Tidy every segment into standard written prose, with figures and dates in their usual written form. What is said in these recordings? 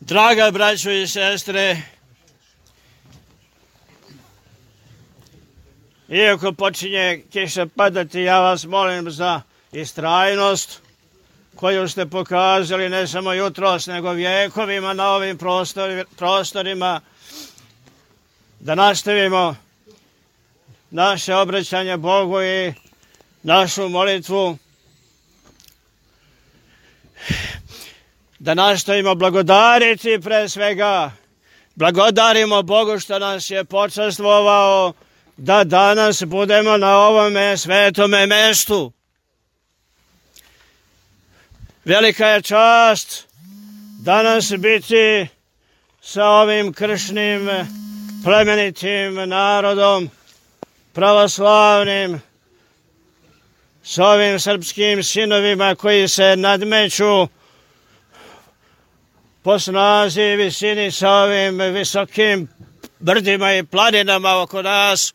Draga braćo i sestre, iako počinje kiša padati, ja vas molim za istrajnost koju ste pokazali ne samo jutros, nego vjekovima na ovim prostorima, da nastavimo naše obraćanje Bogu i našu molitvu, da nastavimo blagodariti pre svega. Blagodarimo Bogu što nas je počastvovao da danas budemo na ovome svetome mestu. Velika je čast danas biti sa ovim kršnim, plemenitim narodom, pravoslavnim, s ovim srpskim sinovima koji se nadmeću po snazi i visini sa ovim visokim brdima i planinama oko nas,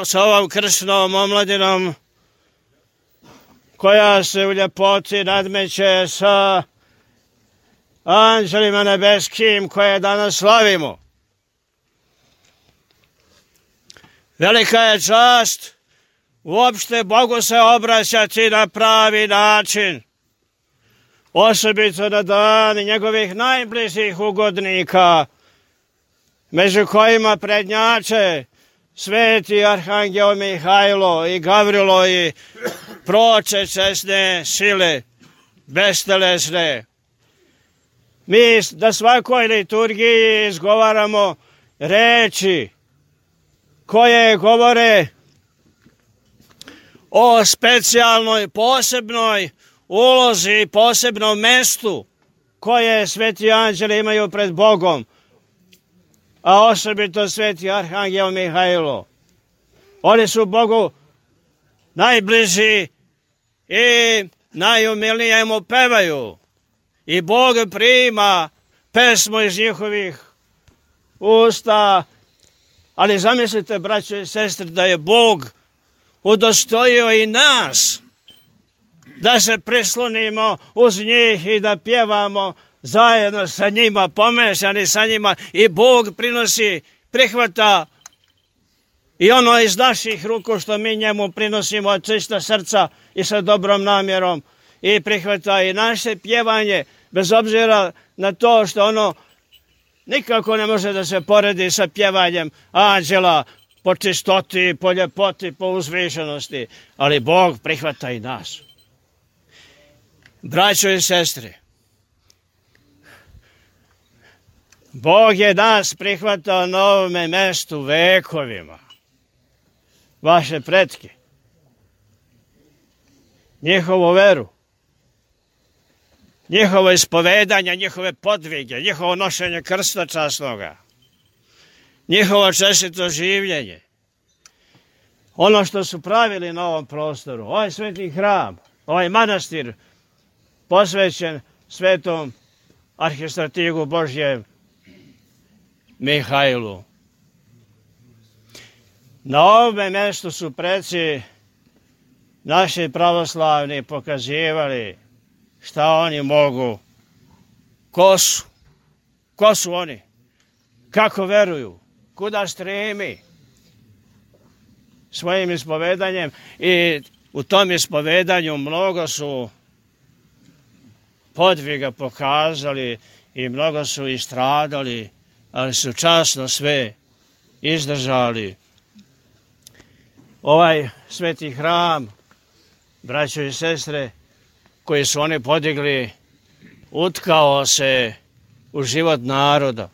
s ovom kršnom omladinom koja se u ljepoti nadmeće sa anđelima nebeskim koje danas slavimo. Velika je čast uopšte Bogu se obraćati na pravi način, osobito na dan njegovih najbližih ugodnika, među kojima prednjače sveti arhangel Mihajlo i Gavrilo i proče česne sile, bestelesne. Mi na svakoj liturgiji izgovaramo reči koje govore o specijalnoj, posebnoj ulozi i posebnom mestu koje sveti anđeli imaju pred Bogom, a osobito sveti arhangel Mihajlo. Oni su Bogu najbliži i najumilnije mu pevaju. I Bog prima pesmu iz njihovih usta. Ali zamislite, braćo i sestre, da je Bog udostojio i nas da se prislonimo uz njih i da pjevamo zajedno sa njima, pomešani sa njima, i Bog prihvata i ono iz naših ruku što mi njemu prinosimo od čista srca i sa dobrom namjerom, i prihvata i naše pjevanje, bez obzira na to što ono nikako ne može da se poredi sa pjevanjem anđela po čistoti, po ljepoti, po uzvišenosti, ali Bog prihvata i nas. Braćo i sestre, Bog je nas prihvatao na ovome mestu vekovima. Vaše pretke, njihovu veru, njihovo ispovedanje, njihove podvige, njihovo nošenje krsta časnoga, njihovo čestito življenje, ono što su pravili na ovom prostoru, ovaj sveti hram, ovaj manastir posvećen svetom arhistratigu Božjem Mihajlu. Na ovome mjestu su preci naši pravoslavni pokazivali šta oni mogu, ko su oni, kako veruju, kuda stremi svojim ispovedanjem, i u tom ispovedanju mnogo su podviga pokazali i mnogo su istradali, ali su časno sve izdržali. Ovaj sveti hram, braćo i sestre, koji su oni podigli, utkao se u život naroda,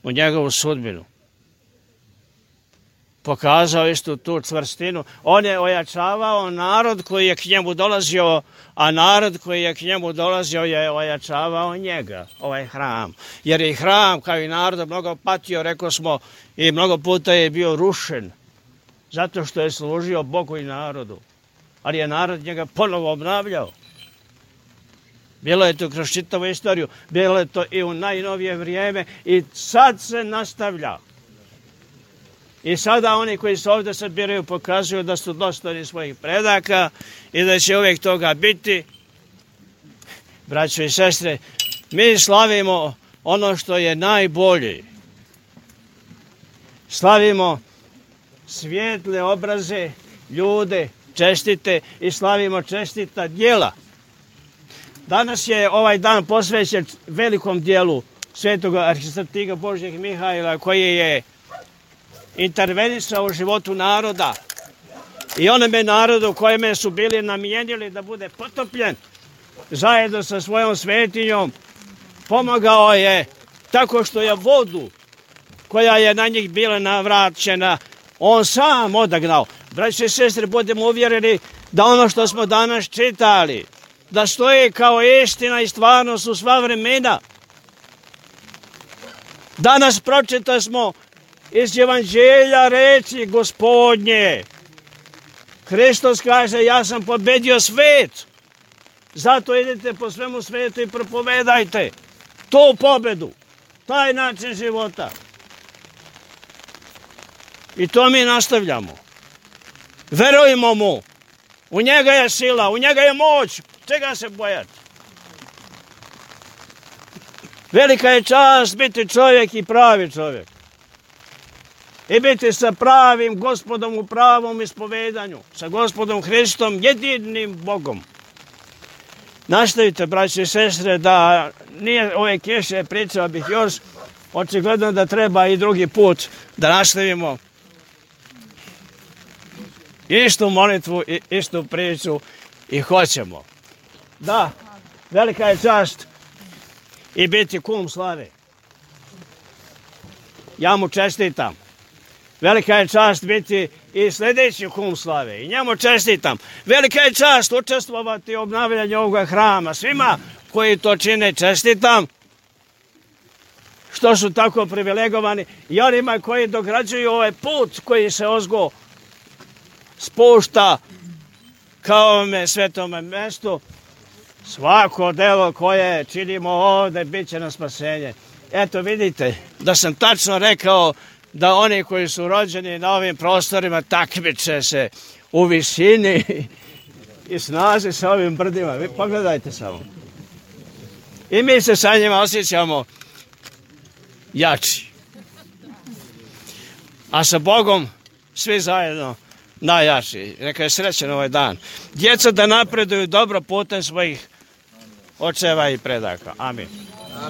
u njegovu sudbinu. Pokazao istu tu čvrstinu. On je ojačavao narod koji je k njemu dolazio, a narod koji je k njemu dolazio je ojačavao njega, ovaj hram. Jer je hram, kao i narod, mnogo patio, rekao smo, i mnogo puta je bio rušen, zato što je služio Bogu i narodu. Ali je narod njega ponovo obnavljao. Bilo je to kroz čitavu istoriju, bilo je to i u najnovije vrijeme, i sad se nastavlja. I sada oni koji se ovdje sabiraju pokazuju da su dostojni svojih predaka i da će uvijek toga biti. Braćo i sestre, Mi slavimo ono što je najbolje. Slavimo svijetle obraze, ljude, čestite i slavimo čestita djela. Danas je ovaj dan posvećen velikom dijelu svetog arhistratika Božjeg Mihajla, koji je intervenisao u životu naroda i onome narodu kojeme su bili namijenili da bude potopljen zajedno sa svojom svetinjom. Pomogao je tako što je vodu koja je na njih bila navraćena on sam odagnao. Braće i sestre, budemo uvjereni da ono što smo danas čitali, da stoji kao istina i stvarnost u sva vremena. Danas pročita smo iz Evanđelja reči Gospodnje. Hristos kaže, ja sam pobedio svet. Zato idete po svemu svetu i propovedajte tu pobedu, taj način života. I to mi nastavljamo. Verujemo mu. U njega je sila, u njega je moć. Čega se bojati? Velika je čast biti čovjek i pravi čovjek. I biti sa pravim Gospodom u pravom ispovedanju. Sa Gospodom Hristom, jedinim Bogom. Nastavite, braće i sestre, da nije ove kiše, pričao bih još. Očigledno da treba i drugi put da nastavimo istu molitvu i istu priču i hoćemo. Da, velika je čast i biti kum slave. Ja mu čestitam. Velika je čast biti i sljedeći kum slave i njemu čestitam. Velika je čast učestvovati u obnavljanju ovoga hrama. Svima koji to čine čestitam, što su tako privilegovani, i onima koji dograđuju ovaj put koji se ozgo spušta kao ovome svetome mjestu. Svako delo koje činimo ovdje bit će na spasenje. Eto vidite da sam tačno rekao da oni koji su rođeni na ovim prostorima takmiče se u visini i snazi sa ovim brdima. Vi pogledajte samo. I mi se sa njima osjećamo jači. A sa Bogom svi zajedno najjači. Neka je srećan ovaj dan. Djeca da napreduju dobro putem svojih očeva i predaka. Amin.